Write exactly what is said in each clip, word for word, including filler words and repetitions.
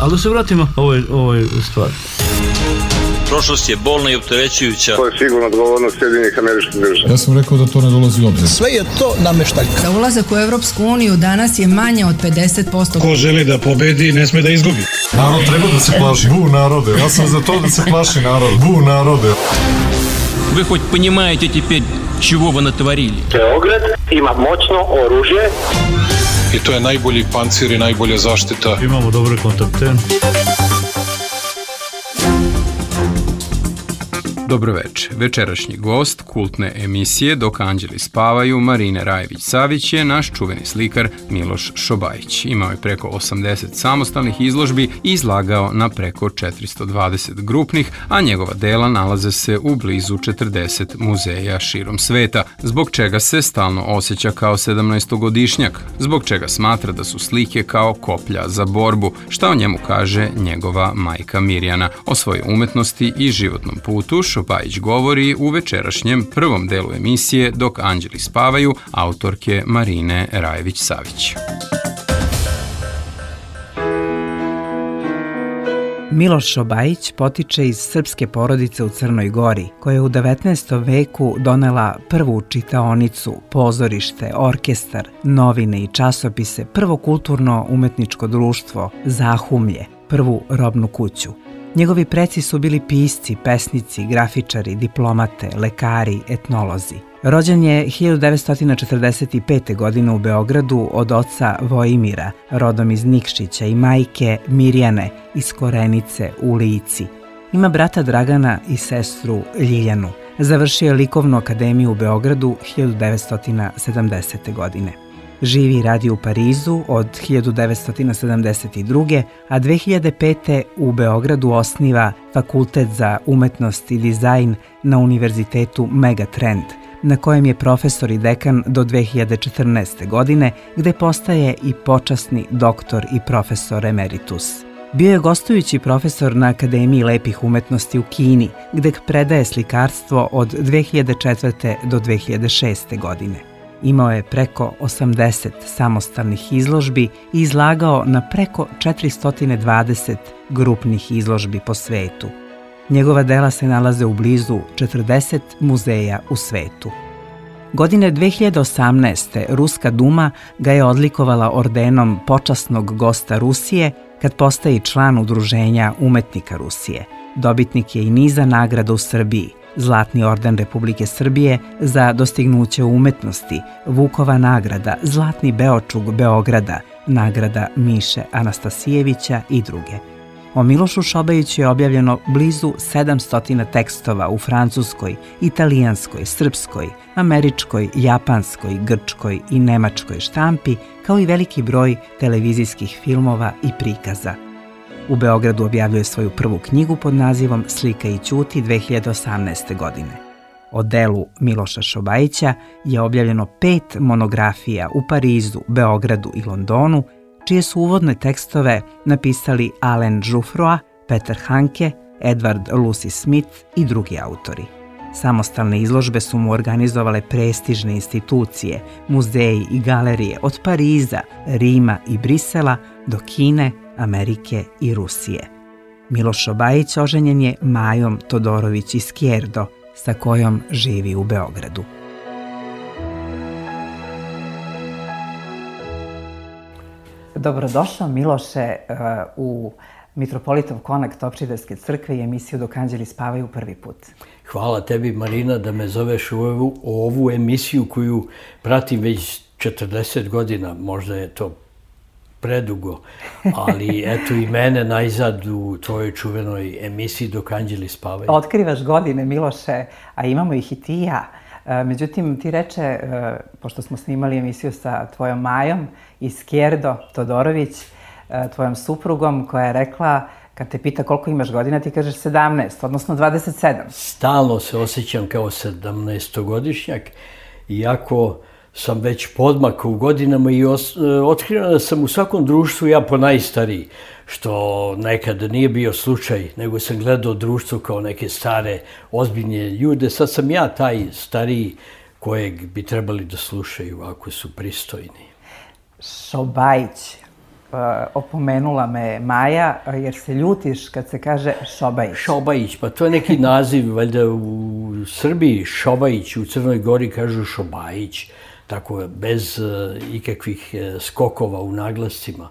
Ali da se vratimo ovoj, ovoj stvari. Prošlost je bolna i opterećujuća. To je sigurno odgovornost Sjedinjenih Američkih Država. Ja sam rekao da to ne dolazi u obzir. Sve je to nameštaljka. Za ulazak u Evropsku uniju danas je manje od pedeset posto. Ko želi da pobedi, ne sme da izgubi. Narod treba da se plaši. Bu narode. Ja sam za to da se plaši narod. Bu narode. Вы хоть понимаете теперь, чего вы натворили? Beograd ima moćno oružje. I to je najbolji pancir i najbolja zaštita. Imamo dobre kontakte. Dobroveče. Večerašnji gost kultne emisije Dok anđeli spavaju Marine Rajević-Savić je naš čuveni slikar Miloš Šobajić. Imao je preko osamdeset samostalnih izložbi i izlagao na preko četiristo dvadeset grupnih, a njegova dela nalaze se u blizu četrdeset muzeja širom sveta, zbog čega se stalno osjeća kao sedamnaestogodišnjak, zbog čega smatra da su slike kao koplja za borbu, šta o njemu kaže njegova majka Mirjana. O svojoj umetnosti i životnom putu Šobajić govori u večerašnjem prvom delu emisije Dok anđeli spavaju autorke Marine Rajević-Savić. Miloš Šobajić potiče iz srpske porodice u Crnoj Gori, koja je u devetnaestom veku donela prvu čitaonicu, pozorište, orkestar, novine i časopise, prvo kulturno-umetničko društvo, Zahumlje, prvu robnu kuću. Njegovi preci su bili pisci, pesnici, grafičari, diplomate, lekari, etnolozi. Rođen je hiljadu devetsto četrdeset pete. godine u Beogradu od oca Vojimira, rodom iz Nikšića, i majke Mirjane iz Korenice u Lici. Ima brata Dragana i sestru Ljiljanu. Završio je likovnu akademiju u Beogradu hiljadu devetsto sedamdesete. godine. Živi i radi u Parizu od hiljadu devetsto sedamdeset druge. a dve hiljade pete. u Beogradu osniva Fakultet za umetnost i dizajn na Univerzitetu Megatrend, na kojem je profesor i dekan do dve hiljade četrnaeste. godine, gde postaje i počasni doktor i profesor emeritus. Bio je gostujući profesor na Akademiji lepih umetnosti u Kini, gde predaje slikarstvo od dve hiljade četvrte. do dve hiljade šeste. godine. Imao je preko osamdeset samostalnih izložbi i izlagao na preko četiristo dvadeset grupnih izložbi po svetu. Njegova dela se nalaze u blizu četrdeset muzeja u svetu. Godine dve hiljade osamnaeste. Ruska duma ga je odlikovala ordenom počasnog gosta Rusije kad postaje član Udruženja umetnika Rusije. Dobitnik je i niza nagrada u Srbiji. Zlatni orden Republike Srbije za dostignuće u umetnosti, Vukova nagrada, Zlatni Beočug Beograda, nagrada Miše Anastasijevića i druge. O Milošu Šobajiću je objavljeno blizu sedamsto tekstova u francuskoj, italijanskoj, srpskoj, američkoj, japanskoj, grčkoj i nemačkoj štampi, kao i veliki broj televizijskih filmova i prikaza. U Beogradu objavljuje svoju prvu knjigu pod nazivom Slika i ćuti dve hiljade osamnaeste. godine. O delu Miloša Šobajića je objavljeno pet monografija u Parizu, Beogradu i Londonu, čije su uvodne tekstove napisali Alain Jouffroy, Peter Hanke, Edward Lucy Smith i drugi autori. Samostalne izložbe su mu organizovale prestižne institucije, muzeji i galerije od Pariza, Rima i Brisela do Kine, Amerike i Rusije. Miloš Šobajić oženjen je Majom Todorović Izquierdo, sa kojom živi u Beogradu. Dobrodošao, Miloše, u Mitropolitov konak Topčiderske crkve i emisiju Dok anđeli spavaju prvi put. Hvala tebi, Marina, da me zoveš u ovu, ovu emisiju koju pratim već četrdeset godina. Možda je to predugo, ali eto i mene najzad u tvojoj čuvenoj emisiji Dok anđeli spavaju. Otkrivaš godine, Miloše, a imamo ih i ti i ja. Međutim, ti reče, pošto smo snimali emisiju sa tvojom Majom Izquierdo Todorović, tvojom suprugom, koja je rekla, kad te pita koliko imaš godina, ti kažeš sedamnaest, odnosno dvadeset sedam. Stalno se osjećam kao sedamnaestogodišnjak, iako sam već podmakao u godinama i otkrio da sam u svakom društvu ja po najstariji, što nekad nije bio slučaj, nego sam gledao društvo kao neke stare, ozbiljne ljude. Sad sam ja taj stariji kojeg bi trebali da slušaju ako su pristojni. Šobajić, opomenula me Maja, jer se ljutiš kad se kaže Šobajić. Šobajić, pa to je neki naziv, valjda u Srbiji Šobajić, u Crnoj Gori kažu Šobajić, tako bez ikakvih skokova u naglascima.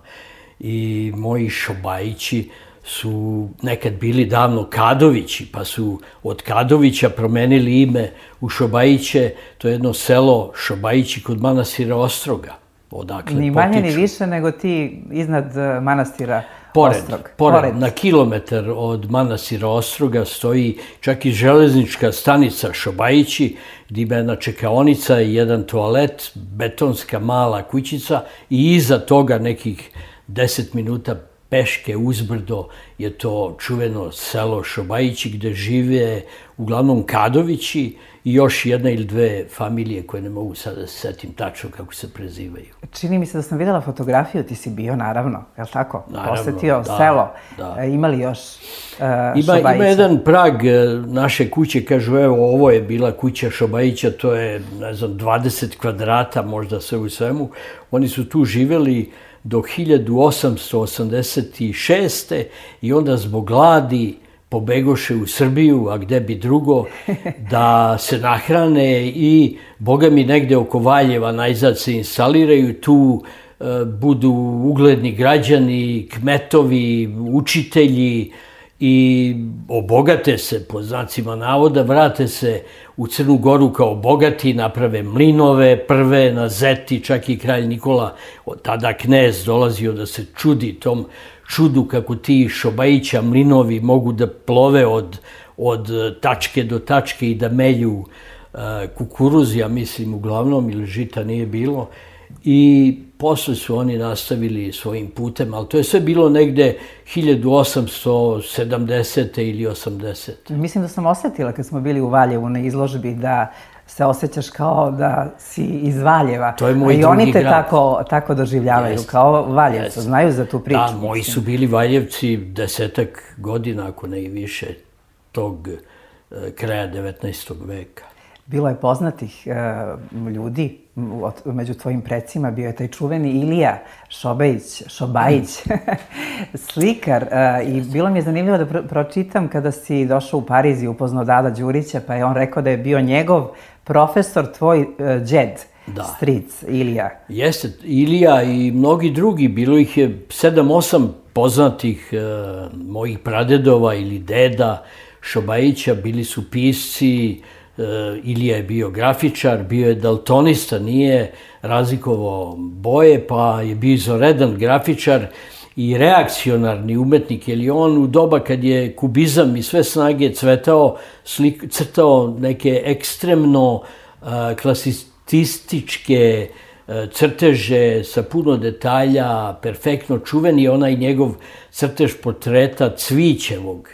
I moji Šobajići su nekad bili davno Kadovići, pa su od Kadovića promenili ime u Šobajiće, to je jedno selo Šobajići kod manastira Ostroga. Odakle ni manje potiču. Ni više nego ti iznad manastira pored, Ostrog. Pored, pored, na kilometar od manastira Ostroga stoji čak i železnička stanica Šobajići, gdje ima jedna čekaonica i jedan toalet, betonska mala kućica i iza toga nekih deset minuta peške uzbrdo je to čuveno selo Šobajići gde žive uglavnom Kadovići i još jedna ili dve familije koje ne mogu sada da se setim tačno kako se prezivaju. Čini mi se da sam videla fotografiju, ti si bio naravno, je li tako? Naravno, posetio da, selo. Da. Ima li još uh, ima, Šobajića? Ima jedan prag naše kuće, kažu evo ovo je bila kuća Šobajića, to je ne znam dvadeset kvadrata možda sve u svemu. Oni su tu živeli do hiljadu osamsto osamdeset šeste. i onda zbog gladi pobegoše u Srbiju, a gde bi drugo, da se nahrane i, boga mi, negde oko Valjeva najzad se instaliraju, tu e, budu ugledni građani, kmetovi, učitelji i obogate se, po znacima navoda, vrate se u Crnu Goru kao bogati, naprave mlinove prve na Zeti, čak i kralj Nikola, tada knez, dolazio da se čudi tom čudu kako ti Šobajića mlinovi mogu da plove od, od tačke do tačke i da melju uh, kukuruz, ja mislim uglavnom, ili žita nije bilo. I posle su oni nastavili svojim putem, ali to je sve bilo negde hiljadu osamsto sedamdesete ili osamdesete. Mislim da sam osetila kad smo bili u Valjevu na izložbi da se osjećaš kao da si iz Valjeva. To je moj drugi grad. I oni te grad. tako, tako doživljavaju, jest, kao Valjevcu. Jest. Znaju za tu priču. Da, moji su bili Valjevci desetak godina, ako ne i više, tog eh, kraja devetnaestog veka. Bilo je poznatih uh, ljudi od, među tvojim precima, bio je taj čuveni Ilija Šobajić, Šobajić, slikar. Uh, I bilo mi je zanimljivo da pro pročitam kada si došao u Pariz i upoznao Dada Đurića, pa je on rekao da je bio njegov profesor, tvoj uh, džed, da. Stric, Ilija. Jeste, Ilija i mnogi drugi, bilo ih je sedam, osam poznatih uh, mojih pradedova ili deda Šobajića, bili su pisci. Uh, Ilija je bio grafičar, bio je daltonista, nije razlikovao boje, pa je bio izvanredan grafičar i reakcionarni umetnik, jer je on u doba kad je kubizam i sve snage cvetao, slik, crtao neke ekstremno uh, klasicističke uh, crteže sa puno detalja, perfektno čuven je onaj njegov crtež portreta Cvićevog.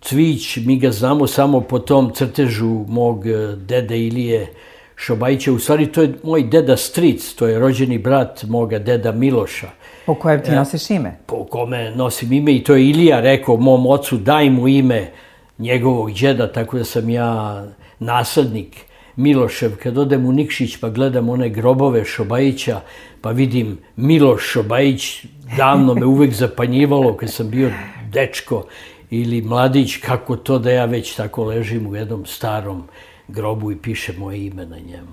Cvić, mi ga znamo samo po tom crtežu mog dede Ilije Šobajića. U stvari, to je moj deda Stric, to je rođeni brat moga deda Miloša. Po kojem ti nosiš ime? Po kome nosim ime i to je Ilija rekao mom ocu, daj mu ime njegovog džeda, tako da sam ja naslednik Milošev. Kad odem u Nikšić pa gledam one grobove Šobajića, pa vidim Miloš Šobajić, davno me uvek zapanjivalo kad sam bio dečko ili mladić, kako to da ja već tako ležim u jednom starom grobu i piše moje ime na njemu.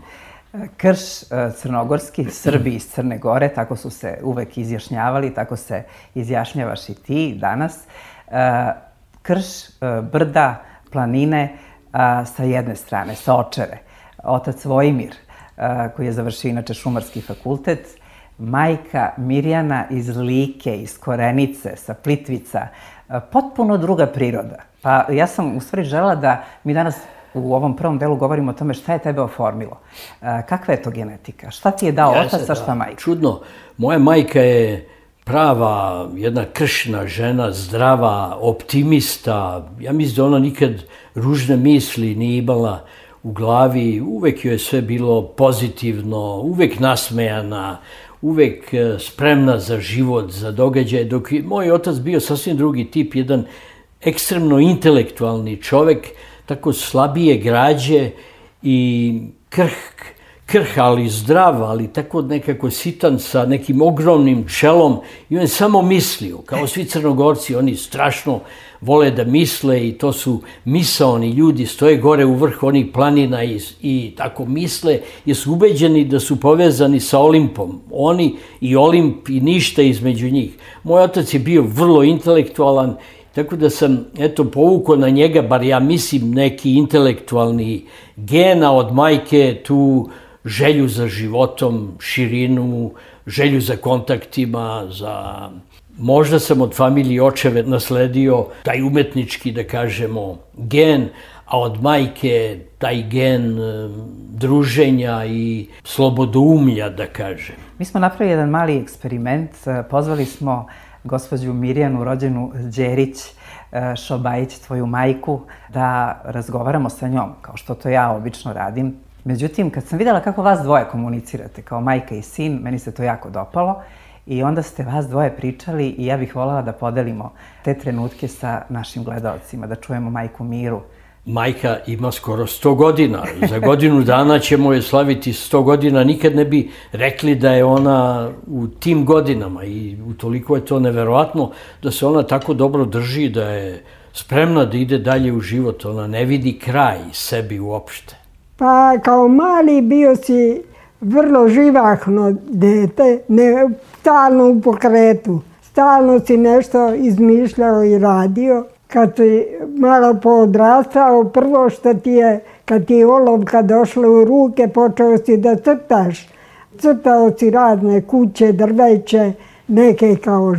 Krš crnogorski, Srbi iz Crne Gore, tako su se uvek izjašnjavali, tako se izjašnjavaš i ti danas. Krš, brda, planine sa jedne strane, sa Očeve. Otac Vojimir, koji je završio inače Šumarski fakultet, majka Mirjana iz Like, iz Korenice, sa Plitvica, potpuno druga priroda. Pa ja sam u stvari želela da mi danas u ovom prvom delu govorimo o tome šta je tebe oformilo. Kakva je to genetika? Šta ti je dao otac, a šta majka? Čudno. Moja majka je prava, jedna kršna žena, zdrava, optimista. Ja mislim da ona nikad ružne misli nije imala u glavi. Uvek joj je sve bilo pozitivno, uvek nasmejana, uvek spremna za život, za događaje, dok je moj otac bio sasvim drugi tip, jedan ekstremno intelektualni čovek, tako slabije građe i krhk, krha, ali zdrav, ali tako nekako sitan sa nekim ogromnim čelom i on je samo mislio, kao svi Crnogorci, oni strašno vole da misle i to su misaoni ljudi, stoje gore u vrh onih planina i, i tako misle, jer su ubeđeni da su povezani sa Olimpom. Oni i Olimp i ništa između njih. Moj otac je bio vrlo intelektualan, tako da sam, eto, povukao na njega, bar ja mislim, neki intelektualni gena od majke, tu želju za životom, širinu, želju za kontaktima, za... Možda sam od familije očeve nasledio taj umetnički, da kažemo, gen, a od majke taj gen druženja i slobodoumlja, da kažem. Mi smo napravili jedan mali eksperiment. Pozvali smo gospođu Mirjanu, rođenu Đerić Šobajić, tvoju majku, da razgovaramo sa njom, kao što to ja obično radim. Međutim, kad sam videla kako vas dvoje komunicirate, kao majka i sin, meni se to jako dopalo. I onda ste vas dvoje pričali i ja bih voljela da podelimo te trenutke sa našim gledalcima, da čujemo majku Miru. Majka ima skoro sto godina. Za godinu dana ćemo je slaviti sto godina. Nikad ne bi rekli da je ona u tim godinama i utoliko je to neverovatno da se ona tako dobro drži, da je spremna da ide dalje u život. Ona ne vidi kraj sebi uopšte. Pa kao mali bio si vrlo živahno dete, ne, stalno u pokretu. Stalno si nešto izmišljao i radio. Kad si malo poodrastao, prvo što ti je, kad ti je olovka došla u ruke, počeo si da crtaš. Crtao si razne kuće, drveće, neke kao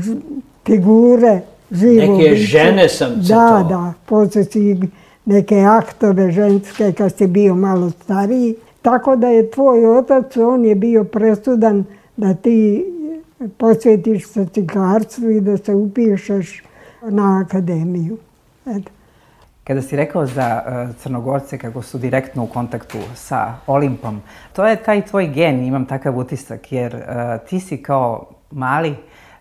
figure, živo Neke biće. žene sam crtao. Da, da. Posle si neke aktove ženske kad si bio malo stariji. Tako da je tvoj otac, on je bio presudan da ti posvetiš se cigarstvu i da se upišeš na akademiju. Eto. Kada si rekao za uh, Crnogorce kako su direktno u kontaktu sa Olimpom, to je taj tvoj gen, imam takav utisak, jer uh, ti si kao mali,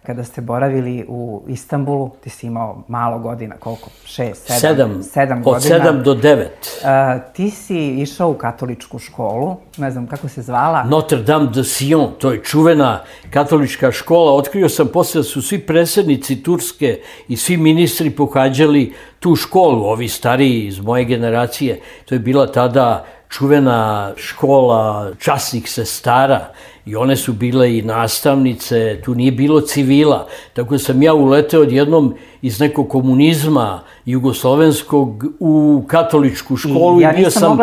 kada ste boravili u Istanbulu, ti si imao malo godina, koliko? Šest, sedam? Sedam. Sedam godina. Od sedam do devet. Uh, ti si išao u katoličku školu, ne znam kako se zvala. Notre Dame de Sion, to je čuvena katolička škola. Otkrio sam posle da su svi predsjednici Turske i svi ministri pohađali tu školu, ovi stariji iz moje generacije. To je bila tada čuvena škola časnih sestara i one su bile i nastavnice, tu nije bilo civila. Tako sam ja uleteo odjednom iz nekog komunizma jugoslovenskog u katoličku školu i, ja i bio sam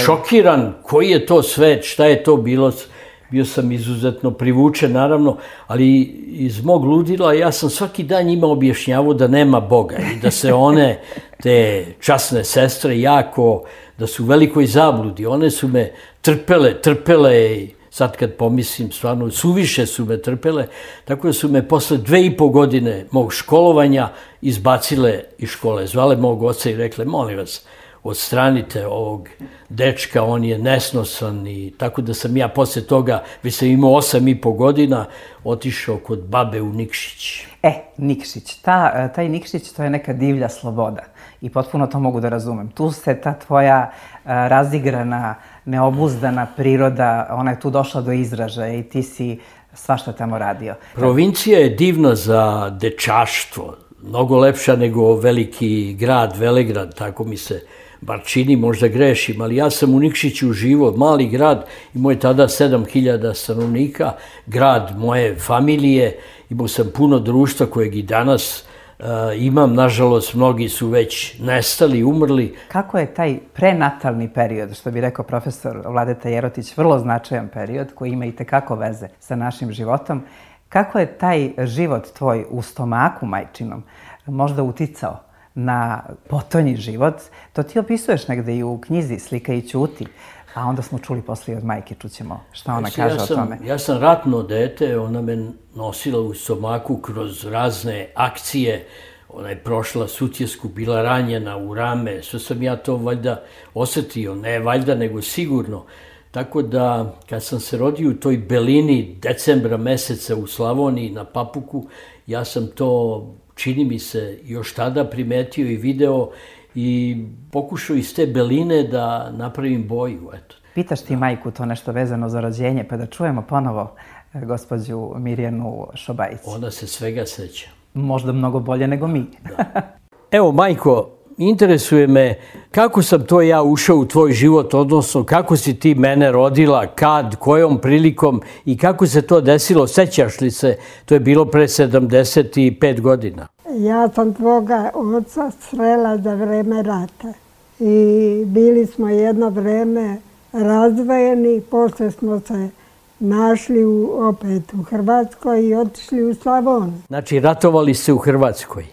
šokiran koji je to svet, šta je to bilo. Bio sam izuzetno privučen, naravno, ali iz mog ludila ja sam svaki dan njima objašnjavao da nema Boga i da se one, te časne sestre, jako, da su u velikoj zabludi. One su me trpele, trpele i sad kad pomislim, stvarno, suviše su me trpele, tako da su me posle dve i po godine mog školovanja izbacile iz škole. Zvale mog oca i rekle, molim vas, odstranite ovog dečka, on je nesnosan i tako da sam ja posle toga, već sam imao osam i po godina, otišao kod babe u Nikšić. E, Nikšić, ta, taj Nikšić to je neka divlja sloboda i potpuno to mogu da razumem. Tu se ta tvoja razigrana, neobuzdana priroda, ona je tu došla do izražaja i ti si svašta tamo radio. Provincija je divna za dečaštvo, mnogo lepša nego veliki grad, Velegrad, tako mi se bar čini, možda grešim, ali ja sam u Nikšiću živo, mali grad, imao je tada sedam hiljada stanovnika, grad moje familije, imao sam puno društva kojeg i danas uh, imam, nažalost, mnogi su već nestali, umrli. Kako je taj prenatalni period, što bi rekao profesor Vladeta Jerotić, vrlo značajan period koji ima i tekako veze sa našim životom, kako je taj život tvoj u stomaku majčinom možda uticao na potonji život? To ti opisuješ negde i u knjizi Slika i ćuti, a onda smo čuli posle od majke, čućemo šta ona kaže ja sam, o tome. Ja sam ratno dete, ona me nosila u stomaku kroz razne akcije, ona je prošla Sutjesku, bila ranjena u rame, sve sam ja to valjda osetio, ne valjda nego sigurno. Tako da, kad sam se rodio u toj belini decembra meseca u Slavoniji na Papuku, ja sam to, čini mi se, još tada primetio i video i pokušao iz te beline da napravim boju, eto. Pitaš ti majku to nešto vezano za rođenje, pa da čujemo ponovo gospođu Mirjanu Šobajić. Ona se svega seća. Možda mnogo bolje nego mi. Evo, majko, interesuje me kako sam to ja ušao u tvoj život, odnosno kako si ti mene rodila, kad, kojom prilikom i kako se to desilo, sećaš li se? To je bilo pre sedamdeset pet godina. Ja sam tvoga oca srela za vreme rata i bili smo jedno vreme razdvojeni, posle smo se našli u, opet u Hrvatskoj i otišli u Slavoniju. Znači, ratovali se u Hrvatskoj?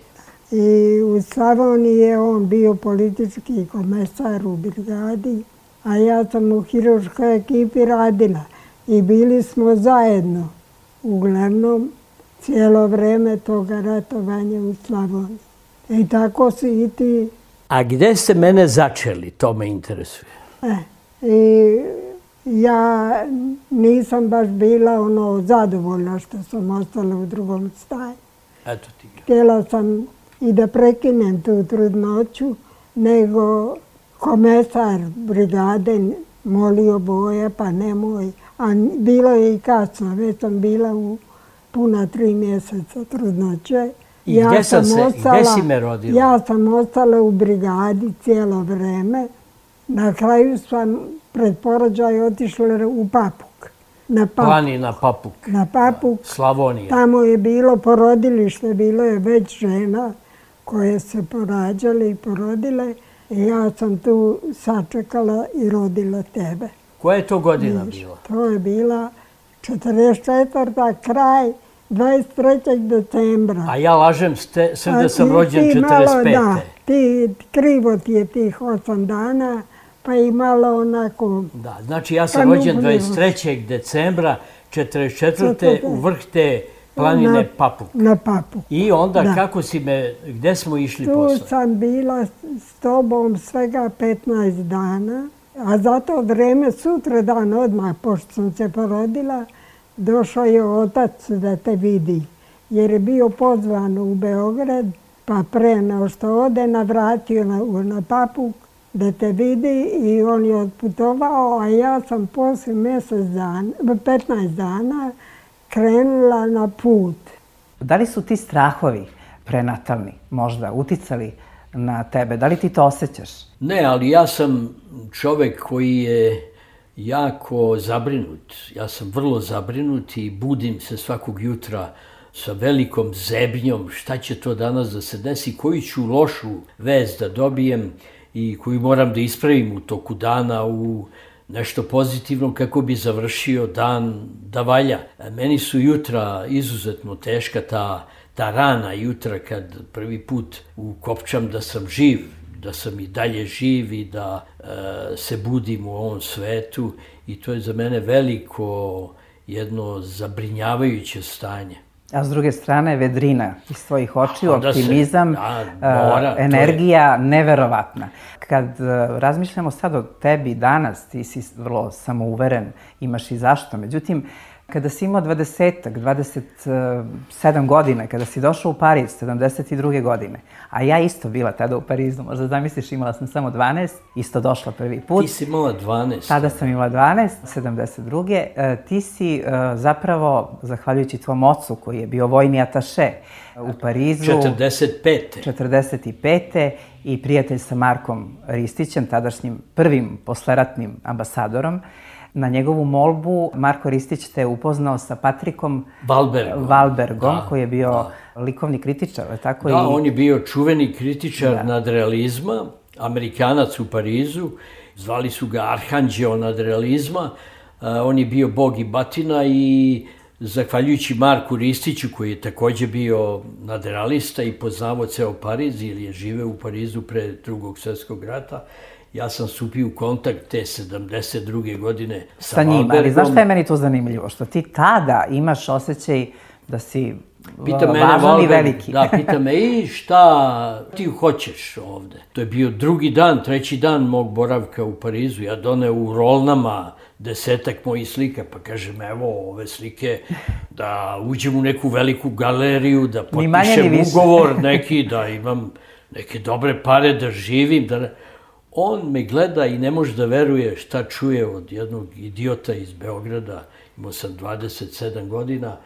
I u Slavoniji je on bio politički komesar u brigadi, a ja sam u hirurškoj ekipi radila. I bili smo zajedno, uglavnom, cijelo vreme toga ratovanja u Slavoniji. I tako si i ti. A gde ste mene začeli, to me interesuje. E, i ja nisam baš bila ono zadovoljna što sam ostala u drugom staju. Eto ti. Htjela sam i da prekinem tu trudnoću, nego komesar brigade molio Boja, pa nemoj. A bilo je i kasno, već sam bila u puna tri mjeseca trudnoće. I ja gdje, sam se, ostala, gdje si me rodila? Ja sam ostala u brigadi cijelo vreme. Na kraju sam pred porođaj otišla u Papuk. Na Papuk. Planina Papuk. Na Papuk. Da, Slavonija. Tamo je bilo porodilište, bilo je već žena koje se porađale i porodile. I ja sam tu sačekala i rodila tebe. Koja je to godina bila? To je bila četrdeset četvrta kraj dvadeset trećeg decembra. A ja lažem sve da sam rođen četrdeset pete. Da, ti, krivo ti je tih osam dana, pa i malo onako... Da, znači ja sam rođen dvadeset trećeg decembra četrdeset četvrte u vrh te planine Papuk. Na Papuk. I onda kako si me, gde smo išli posle? Tu sam bila s tobom svega petnaest dana, a za to vreme sutra dan odmah, pošto sam se porodila, došao je otac da te vidi, jer je bio pozvan u Beograd, pa pre nego što ode navratio na, na Papuk da te vidi i on je otputovao, a ja sam posle mjesec dana, petnaest dana krenula na put. Da li su ti strahovi prenatalni možda uticali na tebe? Da li ti to osjećaš? Ne, ali ja sam čovek koji je jako zabrinut. Ja sam vrlo zabrinut i budim se svakog jutra sa velikom zebnjom šta će to danas da se desi, koju ću lošu vest da dobijem i koju moram da ispravim u toku dana u nešto pozitivno kako bi završio dan da valja. Meni su jutra izuzetno teška, ta, ta rana jutra kad prvi put ukopčam da sam živ, da sam i dalje živ i da e, se budim u ovom svetu i to je za mene veliko jedno zabrinjavajuće stanje. A s druge strane, vedrina iz tvojih očiju, optimizam, se, da, mora, energija je neverovatna. Kad razmišljamo sad o tebi danas, ti si vrlo samouveren, imaš i zašto. Međutim, kada si imao dvadesetak, dvadeset sedam godina, kada si došao u Pariz, sedamdeset druge godine, a ja isto bila tada u Parizu, možda zamisliš, imala sam samo dvanaest, isto došla prvi put. Ti si imala dvanaest. Tada sam imala dvanaest, sedamdeset druge Ti si zapravo, zahvaljujući tvom ocu, koji je bio vojni ataše u Parizu... četrdeset pete. četrdeset pete i prijatelj sa Markom Ristićem, tadašnjim prvim posleratnim ambasadorom. Na njegovu molbu Marko Ristić te upoznao sa Patrikom Valbergom, Valbergom da, koji je bio da. likovni kritičar. Tako da, i... on je bio čuveni kritičar da. nadrealizma, Amerikanac u Parizu, zvali su ga Arhanđeo nadrealizma, on je bio bog i batina i zahvaljujući Marku Ristiću, koji je takođe bio nadrealista i poznavao ceo Pariz ili je živeo u Parizu pre drugog svjetskog rata, ja sam stupio u kontakt te sedamdeset druge godine sa, sa njim, Valbergom. Ali znaš šta je meni to zanimljivo? Što ti tada imaš osjećaj da si pita mene, važan Valberg, i veliki. Da, pita me, i šta ti hoćeš ovde? To je bio drugi dan, treći dan mog boravka u Parizu. Ja doneo u rolnama desetak mojih slika, pa kažem, evo ove slike, da uđem u neku veliku galeriju, da potpišem ugovor neki, da imam neke dobre pare, da živim, da... on me gleda i ne može da veruje šta čuje od jednog idiota iz Beograda, imao sam dvadeset sedam godina,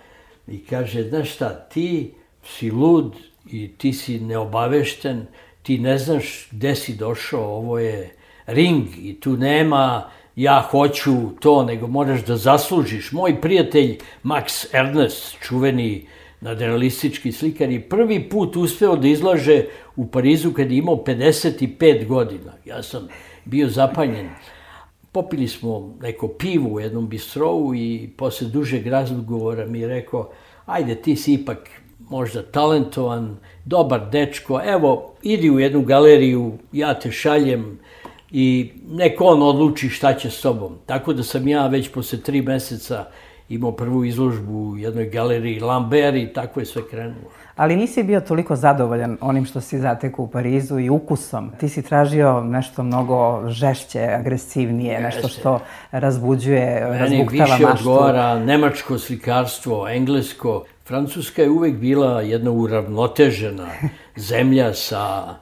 i kaže, znaš šta, ti si lud i ti si neobavešten, ti ne znaš gde si došao, ovo je ring i tu nema ja hoću to, nego moraš da zaslužiš. Moj prijatelj Max Ernst, čuveni nadrealistički slikar, je prvi put uspeo da izlaže u Parizu kad je imao pedeset pet godina. Ja sam bio zapanjen. Popili smo neko pivo u jednom bistrovu i posle dužeg razgovora mi je rekao, ajde, ti si ipak možda talentovan, dobar dečko, evo, idi u jednu galeriju, ja te šaljem i neko on odluči šta će s tobom. Tako da sam ja već posle tri meseca imao prvu izložbu u jednoj galeriji Lambert i tako je sve krenulo. Ali nisi bio toliko zadovoljan onim što si zatekao u Parizu i ukusom. Ti si tražio nešto mnogo žešće, agresivnije, nešto što razbuđuje, razbuktava maštu. Meni više odgovara nemačko slikarstvo, englesko. Francuska je uvek bila jedna uravnotežena zemlja sa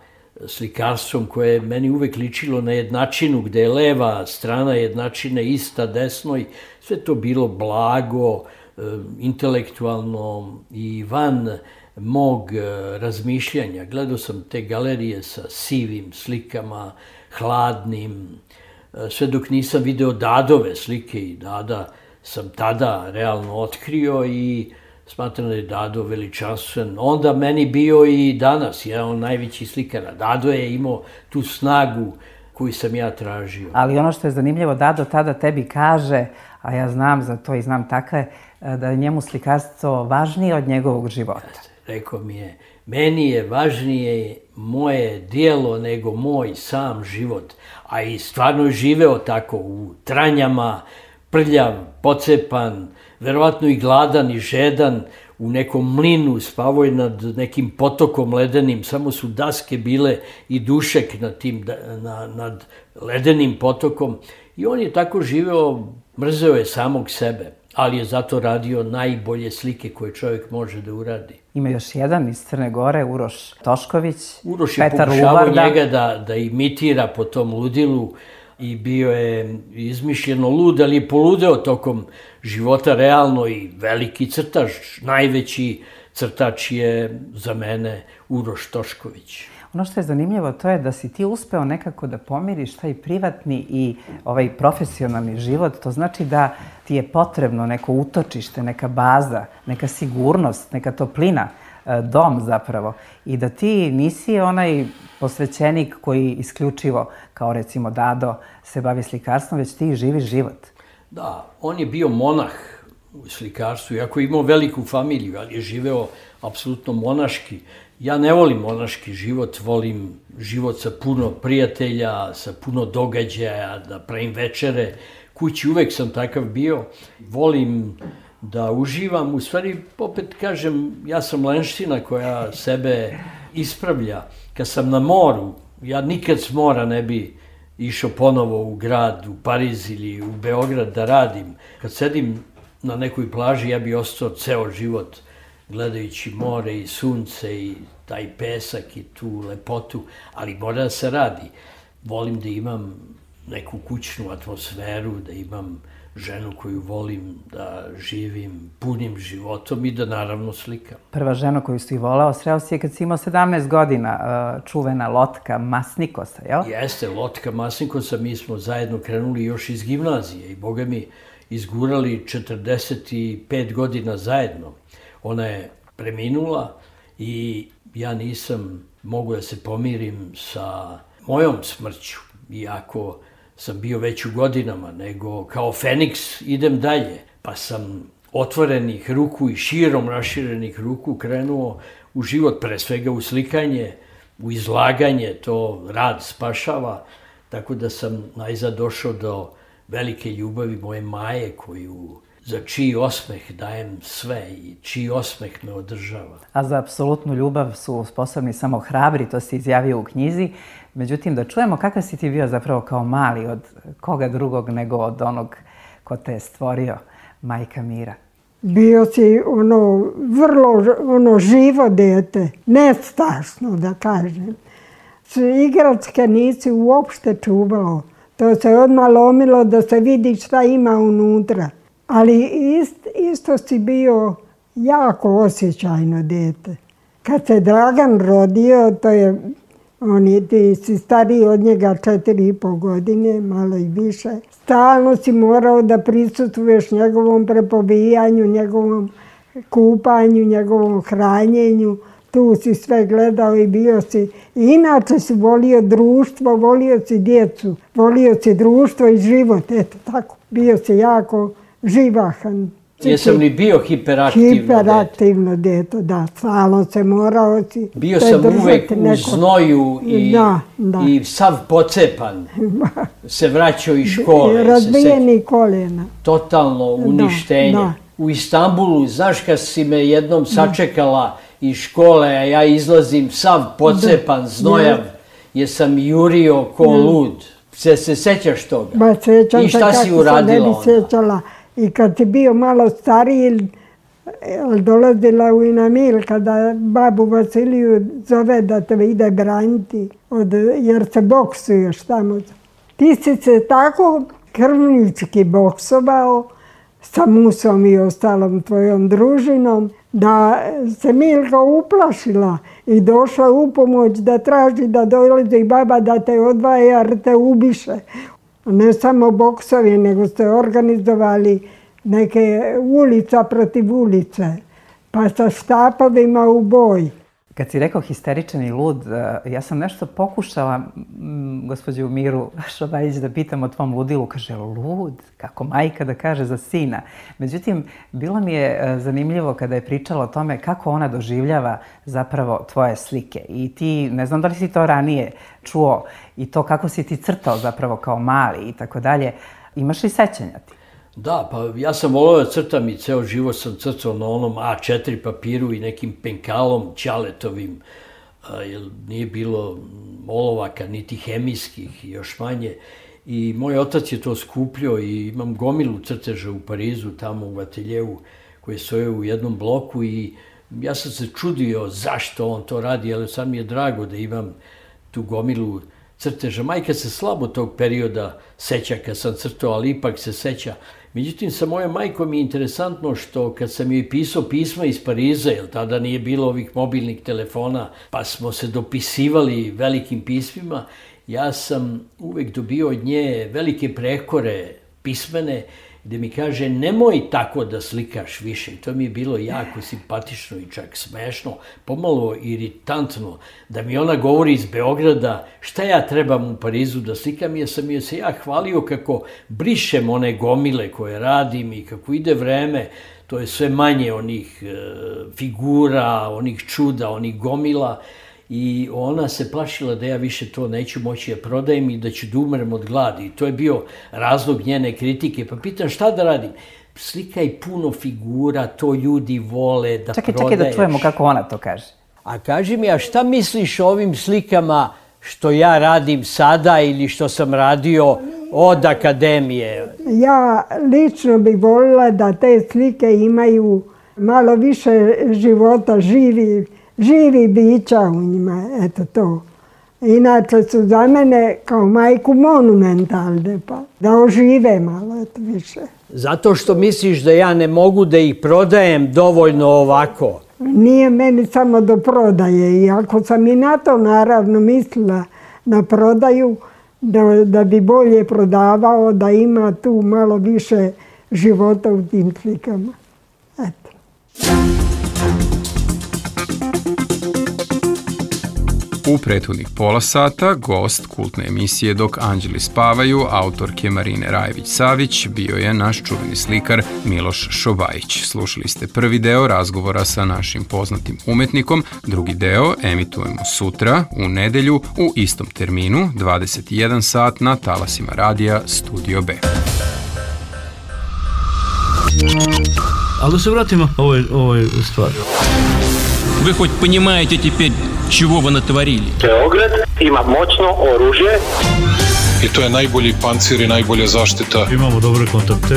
slikarstvom koje je meni uvek ličilo na jednačinu, gde je leva strana jednačine ista desnoj. Sve to bilo blago, intelektualno i van mog razmišljanja. Gledao sam te galerije sa sivim slikama, hladnim, sve dok nisam video Dadove slike i Dada sam tada realno otkrio i smatram da je Dado veličanstven. Onda meni bio i danas, je on najveći slikar. Dado je imao tu snagu koju sam ja tražio. Ali ono što je zanimljivo, Dado tada tebi kaže, a ja znam za to i znam takve, da je njemu slikarstvo važnije od njegovog života. Rekao mi je, meni je važnije moje dijelo nego moj sam život. A i stvarno je živeo tako u Tranjama, prljav, pocepan, verovatno i gladan i žedan, u nekom mlinu spavao je nad nekim potokom ledenim, samo su daske bile i dušek nad, tim, na, nad ledenim potokom. I on je tako živeo, mrzeo je samog sebe, ali je zato radio najbolje slike koje čovjek može da uradi. Ima još jedan iz Crne Gore, Uroš Tošković, Uroš je pokušavao njega da, da imitira po tom ludilu i bio je izmišljeno lud, ali je poludeo tokom života realno i veliki crtač. Najveći crtač je za mene Uroš Tošković. Ono što je zanimljivo to je da si ti uspeo nekako da pomiriš taj privatni i ovaj profesionalni život. To znači da ti je potrebno neko utočište, neka baza, neka sigurnost, neka toplina, dom zapravo. I da ti nisi onaj posvećenik koji isključivo, kao recimo Dado, se bavi slikarstvom, već ti živiš život. Da, on je bio monah u slikarstvu, iako je imao veliku familiju, ali je živeo apsolutno monaški. Ja ne volim monaški život, volim život sa puno prijatelja, sa puno događaja, da pravim večere. Kući uvek sam takav bio. Volim da uživam. U stvari, opet kažem, ja sam lenština koja sebe ispravlja. Kad sam na moru, ja nikad s mora ne bi išao ponovo u grad, u Pariz ili u Beograd da radim. Kad sedim na nekoj plaži, ja bi ostao ceo život gledajući more i sunce i taj pesak i tu lepotu, ali mora da se radi. Volim da imam neku kućnu atmosferu, da imam ženu koju volim, da živim punim životom i da naravno slikam. Prva žena koju si volao, sreo si je kad si imao sedamnaest godina, čuvena Lotka Masnikosa, jel? Jeste, Lotka Masnikosa, mi smo zajedno krenuli još iz gimnazije i boga mi izgurali četrdeset pet godina zajedno. Ona je preminula i ja nisam mogao da se pomirim sa mojom smrću, iako sam bio već u godinama, nego kao Feniks idem dalje. Pa sam otvorenih ruku i širom raširenih ruku krenuo u život, pre svega u slikanje, u izlaganje, to rad spašava, tako da sam najzad došao do velike ljubavi moje Maje, koju za čiji osmeh dajem sve i čiji osmeh me održava. A za apsolutnu ljubav su sposobni samo hrabri, to si izjavio u knjizi. Međutim, da čujemo kakav si ti bio zapravo kao mali, od koga drugog nego od onog ko te je stvorio, Majka Mira. Bio si ono vrlo ono živo dete, nestašno da kažem. Igračke nisi uopšte čuvao. To se odmah lomilo da se vidi šta ima unutra. Ali ist, isto si bio jako osjećajno dete. Kad se Dragan rodio, to je, on je, ti si stariji od njega četiri i pol godine, malo i više. Stalno si morao da prisustvuješ njegovom prepovijanju, njegovom kupanju, njegovom hranjenju. Tu si sve gledao i bio si. Inače si volio društvo, volio si djecu, volio si društvo i život. Eto tako, bio si jako živahan. Jesam li bio hiperaktivno dete? Hiperaktivno dete, da. Stalno se morao si... Bio sam uvek u znoju i, da, da. i sav pocepan. Se vraćao iz škole. Razbijeni koljena. Totalno uništenje. Da, da. U Istanbulu, znaš kad si me jednom sačekala iz škole, a ja izlazim sav pocepan, znojav, jer sam jurio ko lud. Se, se sećaš toga? Ba, sećam I šta si uradila onda? Sećala. I kad si bio malo stariji, dolazila u Inamil, kada babu Vasiliju zove da te ide braniti, od, jer se boksuješ tamo. Ti si se tako krvnički boksovao sa Musom i ostalom tvojom družinom, da se Milka uplašila i došla u pomoć da traži da dolazi baba da te odvaja jer te ubiše. Ne samo boksovi, nego ste organizovali neke ulica protiv ulice, pa sa štapovima u boj. Kad si rekao histeričan i lud, ja sam nešto pokušala gospođu Miru Šobajić da pitam o tvom ludilu. Kaže, lud? Kako majka da kaže za sina? Međutim, bilo mi je zanimljivo kada je pričala o tome kako ona doživljava zapravo tvoje slike. I ti, ne znam da li si to ranije čuo, i to kako si ti crtao zapravo kao mali i tako dalje. Imaš li sećanja ti? Da, pa ja sam volio da crtam i ceo život sam crtao na onom A četiri papiru i nekim penkalom ćaletovim, jer nije bilo olovaka, niti hemijskih, još manje. I moj otac je to skupljio i imam gomilu crteža u Parizu, tamo u ateljevu, koji stoje u jednom bloku i ja sam se čudio zašto on to radi, ali sad mi je drago da imam tu gomilu crteža. Majka se slabo tog perioda seća kad sam crtao, ali ipak se seća. Međutim, sa mojom majkom je interesantno što kad sam joj pisao pisma iz Pariza, jer tada nije bilo ovih mobilnih telefona, pa smo se dopisivali velikim pismima, ja sam uvek dobio od nje velike prekore pismene, gde mi kaže nemoj tako da slikaš više. I to mi je bilo jako simpatično i čak smešno, pomalo iritantno, da mi ona govori iz Beograda šta ja trebam u Parizu da slikam, jer sam joj se ja hvalio kako brišem one gomile koje radim i kako ide vreme, to je sve manje onih e, figura, onih čuda, onih gomila. I ona se plašila da ja više to neću moći da prodajem i da ću da umrem od gladi. I to je bio razlog njene kritike. Pa pitam šta da radim? Slikaj puno figura, to ljudi vole da čekaj, prodaješ. Čekaj da čujemo kako ona to kaže. A kaži mi, a šta misliš o ovim slikama što ja radim sada ili što sam radio od akademije? Ja lično bih volila da te slike imaju malo više života, živi, živi bića u njima, eto to. Inače su za mene kao majku monumentalne, pa da ožive malo, eto više. Zato što misliš da ja ne mogu da ih prodajem dovoljno ovako? Nije meni samo do prodaje, i ako sam i na to naravno mislila na prodaju, da, da bi bolje prodavao, da ima tu malo više života u tim slikama. Eto. U prethodnih pola sata gost kultne emisije Dok anđeli spavaju, autorke Marine Rajević-Savić, bio je naš čuveni slikar Miloš Šobajić. Slušali ste prvi deo razgovora sa našim poznatim umetnikom, drugi deo emitujemo sutra u nedelju u istom terminu, dvadeset i jedan sat na talasima radija Studio B. Ali da se vratimo ovoj, ovoj stvari. Вы хоть понимаете теперь, чего вы натворили? Beograd ima moćno oružje. I to je najbolji pancir i najbolja zaštita. Imamo dobre kontakte.